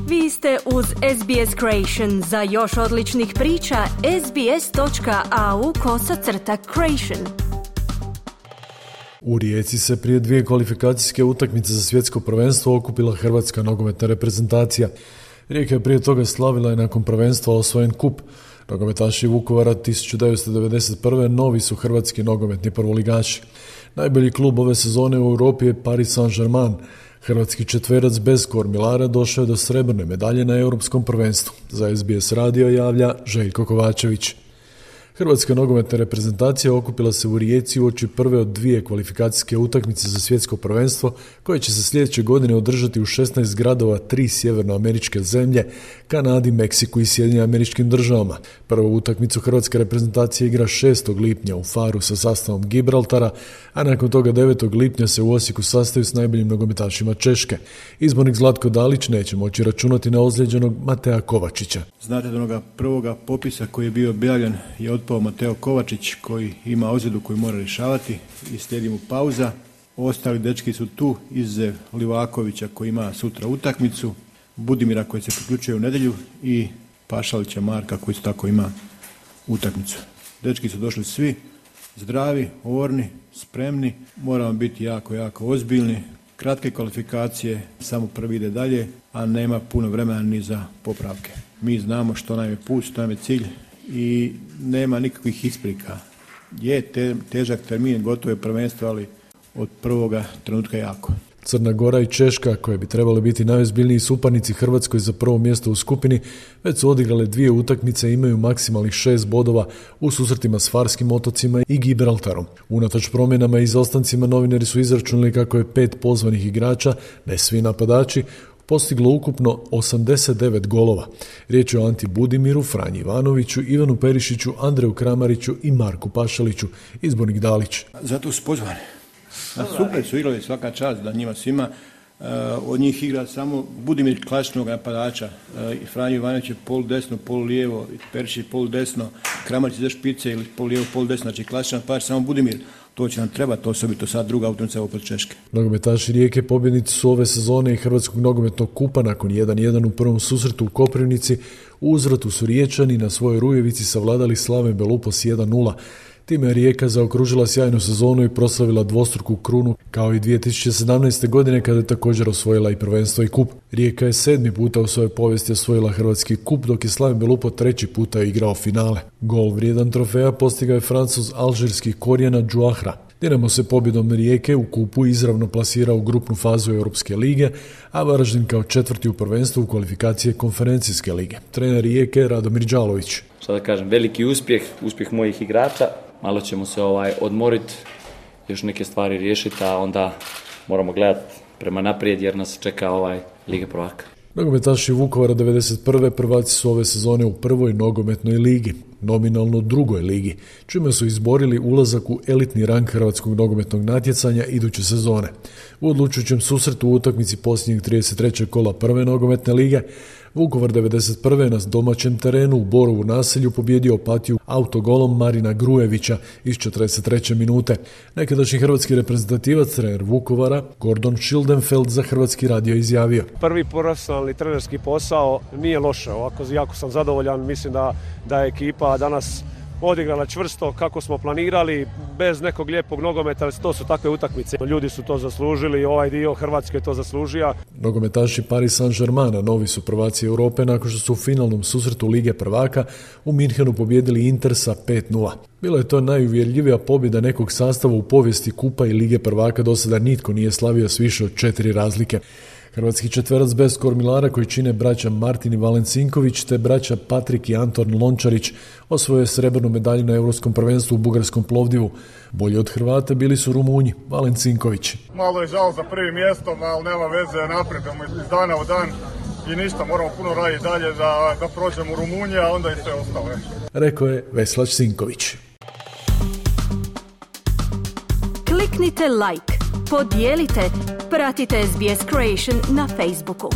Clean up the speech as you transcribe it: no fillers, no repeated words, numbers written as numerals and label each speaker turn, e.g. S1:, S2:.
S1: Vi ste uz SBS Creation. Za još odličnih priča, sbs.au/creation.
S2: U Rijeci se prije 2 kvalifikacijske utakmice za svjetsko prvenstvo okupila hrvatska nogometna reprezentacija. Rijeka je prije toga slavila i nakon prvenstva osvojen kup. Nogometaši Vukovara 1991. novi su hrvatski nogometni prvoligaši. Najbolji klub ove sezone u Europi je Paris Saint-Germain. Hrvatski četverac bez kormilara došao je do srebrne medalje na europskom prvenstvu. Za SBS radio javlja Željko Kovačević. Hrvatska nogometna reprezentacija okupila se u Rijeci uoči prve od 2 kvalifikacijske utakmice za svjetsko prvenstvo koje će se sljedeće godine održati u 16 gradova 3 sjevernoameričke zemlje, Kanadi, Meksiku i Sjedinjenim Američkim Državama. Prvu utakmicu hrvatska reprezentacija igra 6. lipnja u Faru sa sastavom Gibraltara, a nakon toga 9. lipnja se u Osijeku sastaju s najboljim nogometašima Češke. Izbornik Zlatko Dalić neće moći računati na ozlijeđenog Mateja Kovačića.
S3: Znate da onoga prvoga popisa koji je bio objavljen je otpao Mateo Kovačić koji ima ozljedu koju mora rješavati i slijedi mu pauza. Ostali dečki su tu, izuzev Livakovića koji ima sutra utakmicu, Budimira koji se priključuje u nedjelju i Pašalića Marka koji tako ima utakmicu. Dečki su došli svi zdravi, orni, spremni, moramo biti jako ozbiljni. Kratke kvalifikacije, samo prvi ide dalje, a nema puno vremena ni za popravke. Mi znamo što nam je put, što nam je cilj i nema nikakvih isprika. Je težak termin, gotovo je prvenstvo, ali od prvoga trenutka jako.
S2: Crna Gora i Češka, koje bi trebali biti najozbiljniji suparnici Hrvatskoj za prvo mjesto u skupini, već su odigrale 2 utakmice i imaju maksimalnih 6 bodova u susretima s Farskim otocima i Gibraltarom. Unatoč promjenama i izostancima novinari su izračunali kako je 5 pozvanih igrača, ne svi napadači, postiglo ukupno 89 golova. Riječ je o Anti Budimiru, Franji Ivanoviću, Ivanu Perišiću, Andreju Kramariću i Marku Pašaliću. Izbornik Dalić.
S3: Zato su pozvani. Super su igrali, svaka čast da njima svima. Od njih igra samo Budimir klasičnog napadača. Franji Ivanović je polu desno, polu lijevo, Perišić je polu desno, Kramarić za špice ili polu lijevo, polu desno, znači klasičan napadač, samo Budimir. To će nam trebati, osobito sad druga utakmica opet Češke.
S2: Nogometaši Rijeke pobjednici su ove sezone i Hrvatskog nogometnog kupa nakon 1-1 u prvom susretu u Koprivnici. U uzvratu su Riječani na svojoj Rujevici savladali Slaven Belupos 1-0. Time je Rijeka zaokružila sjajnu sezonu i proslavila dvostruku krunu, kao i 2017. godine kada je također osvojila i prvenstvo i kup. Rijeka je 7. puta u svojoj povijesti osvojila hrvatski kup, dok je Slaven Belupo 3. puta igrao finale. Gol vrijedan trofeja postigao je Francuz alžirskih korijena Džuahra. Dinamo se pobjedom Rijeke u kupu izravno plasirao u grupnu fazu Europske lige, a Varaždin kao 4. u prvenstvu u kvalifikacije konferencijske lige. Trener Rijeke Radomir Đalović.
S4: Šta da kažem, veliki uspjeh mojih igrača. Malo ćemo se odmoriti, još neke stvari riješiti, a onda moramo gledati prema naprijed jer nas čeka Liga prvaka.
S2: Nogometaši Vukovara 1991. prvaci su ove sezone u prvoj nogometnoj ligi, nominalno drugoj ligi, čime su izborili ulazak u elitni rang hrvatskog nogometnog natjecanja iduće sezone. U odlučujućem susretu u utakmici posljednjeg 33. kola prve nogometne lige, Vukovar 1991. na domaćem terenu u Borovu naselju pobjedio Opatiju autogolom Marina Grujevića iz 43. minute. Nekadašnji hrvatski reprezentativac, trener Vukovara, Gordon Schildenfeld, za Hrvatski radio izjavio:
S5: Prvi profesionalni trenerski posao nije loše, ovako jako sam zadovoljan, mislim da je ekipa danas odigrala čvrsto kako smo planirali, bez nekog lijepog nogometa, ali to su takve utakmice. Ljudi su to zaslužili, ovaj dio Hrvatske je to zaslužio.
S2: Nogometaši Paris Saint-Germaina novi su prvaci Europe nakon što su u finalnom susretu Lige prvaka u Minhenu pobijedili Inter sa 5-0. Bila je to najuvjerljivija pobjeda nekog sastava u povijesti kupa i Lige prvaka, do sada nitko nije slavio s više od 4 razlike. Hrvatski četverac bez kormilara koji čine braća Martin i Valen Sinković te braća Patrik i Anton Lončarić osvojio je srebrnu medalju na Europskom prvenstvu u Bugarskom Plovdivu. Bolji od Hrvata bili su Rumunji, Valen Sinković.
S6: Malo je žal za prvim mjestom, ali nema veze, napredujemo iz dana u dan i ništa, moramo puno raditi dalje da prođemo u Rumuniji, a onda i sve ostalo.
S2: Rekao je Veslač Sinković.
S1: Kliknite like, podijelite, pratite SBS Creation na Facebooku.